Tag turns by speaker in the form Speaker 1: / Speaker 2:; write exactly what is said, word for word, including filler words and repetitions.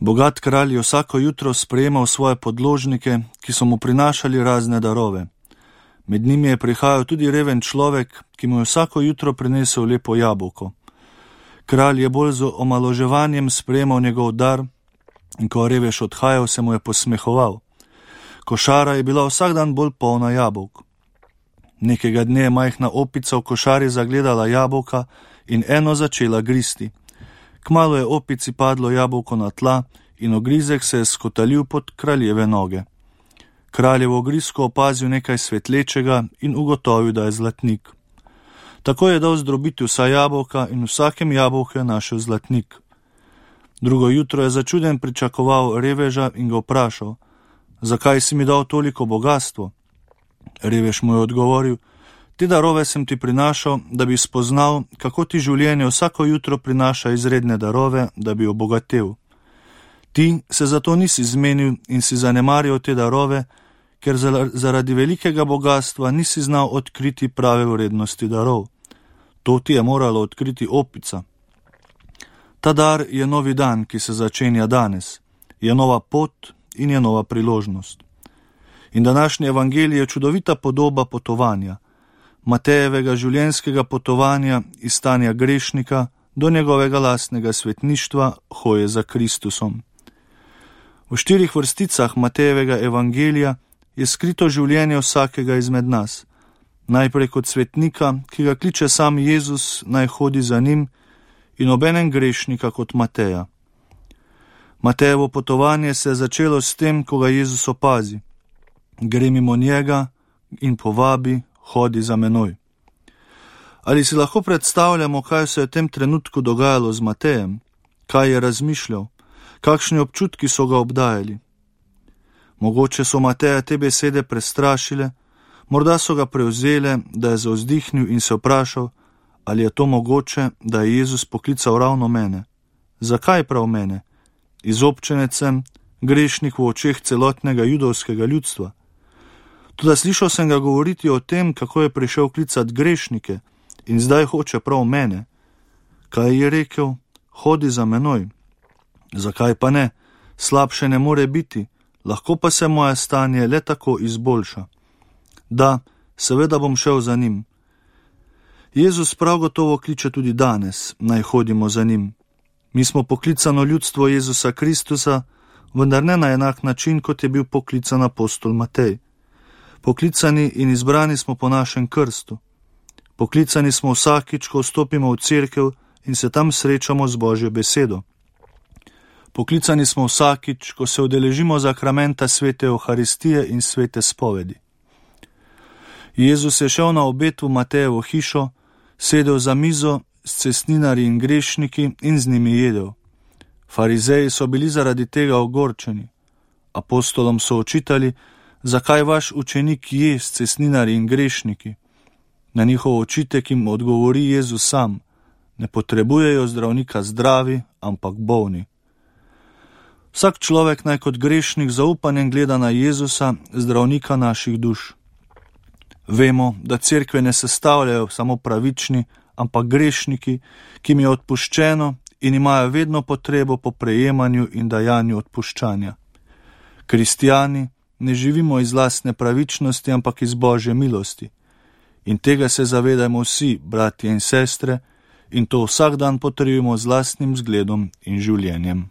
Speaker 1: Bogat kralj je vsako jutro sprejemal svoje podložnike, ki so mu prinašali razne darove. Med njimi je prihajal tudi reven človek, ki mu je vsako jutro prinesel lepo jabolko. Kralj je bolj z omaloževanjem sprejemal njegov dar in ko revež odhajal, se mu je posmehoval. Košara je bila vsak dan bolj polna jabolk. Nekega dne je majhna opica v košari zagledala jabolka in eno začela gristi. Kmalu je opici padlo jabolko na tla in ogrizek se je skotalil pod kraljeve noge. Kralj je v ogrizku opazil nekaj svetlečega in ugotovil, da je zlatnik. Tako je dal zdrobiti vsa jabolka in v vsakem jabolku je našel zlatnik. Drugo jutro je začuden pričakoval reveža in ga vprašal: zakaj si mi dal toliko bogastvo? Revež mu je odgovoril: te darove sem ti prinašal, da bi spoznal, kako ti življenje vsako jutro prinaša izredne darove, da bi obogatel. Ti se zato nisi zmenil in si zanemaril te darove, ker zaradi velikega bogatstva nisi znal odkriti prave vrednosti darov. To ti je moralo odkriti opica. Ta dar je novi dan, ki se začenja danes. Je nova pot in je nova priložnost. In današnji evangelij je čudovita podoba potovanja, Matejevega življenjskega potovanja iz stanja grešnika do njegovega lastnega svetništva, hoje za Kristusom. V štirih vrsticah Matejevega evangelija je skrito življenje vsakega izmed nas. Najprej kot svetnika, ki ga kliče sam Jezus, naj hodi za njim, in obenem grešnika kot Mateja. Matejevo potovanje se je začelo s tem, ko ga Jezus opazi. Gre mimo njega in povabi: hodi za menoj. Ali si lahko predstavljamo, kaj se je v tem trenutku dogajalo z Matejem? Kaj je razmišljal? Kakšni občutki so ga obdajali? Mogoče so Mateja te besede prestrašile, morda so ga prevzele, da je zavzdihnil in se vprašal, ali je to mogoče, da je Jezus poklical ravno mene. Zakaj prav mene? Izobčenec sem, grešnik v očeh celotnega judovskega ljudstva. Toda slišal sem ga govoriti o tem, kako je prišel klicat grešnike in zdaj hoče prav mene. Kaj je rekel? Hodi za menoj. Zakaj pa ne? Slabše ne more biti, lahko pa se moje stanje le tako izboljša. Da, seveda bom šel za njim. Jezus prav gotovo kliče tudi danes, naj hodimo za njim. Mi smo poklicano ljudstvo Jezusa Kristusa, vendar ne na enak način, kot je bil poklican apostol Matej. Poklicani in izbrani smo po našem krstu. Poklicani smo vsakič, ko vstopimo v cerkev in se tam srečamo z Božjo besedo. Poklicani smo vsakič, ko se udeležimo zakramenta svete Euharistije in svete spovedi. Jezus je šel na obed v Matejevo hišo, sedel za mizo s cestninarji in grešniki in z njimi jedel. Farizeji so bili zaradi tega ogorčeni. Apostolom so očitali, zakaj vaš učenik je s cestninarji in grešniki. Na njihov očitek jim odgovori Jezus sam: ne potrebujejo zdravnika zdravi, ampak bolni. Vsak človek naj kot grešnik zaupanjem gleda na Jezusa, zdravnika naših duš. Vemo, da cerkve ne sestavljajo samo pravični, ampak grešniki, ki jim je odpuščeno in imajo vedno potrebo po prejemanju in dajanju odpuščanja. Kristijani ne živimo iz lastne pravičnosti, ampak iz Božje milosti. In tega se zavedajmo vsi, bratje in sestre, in to vsak dan potrjujemo z lastnim zgledom in življenjem.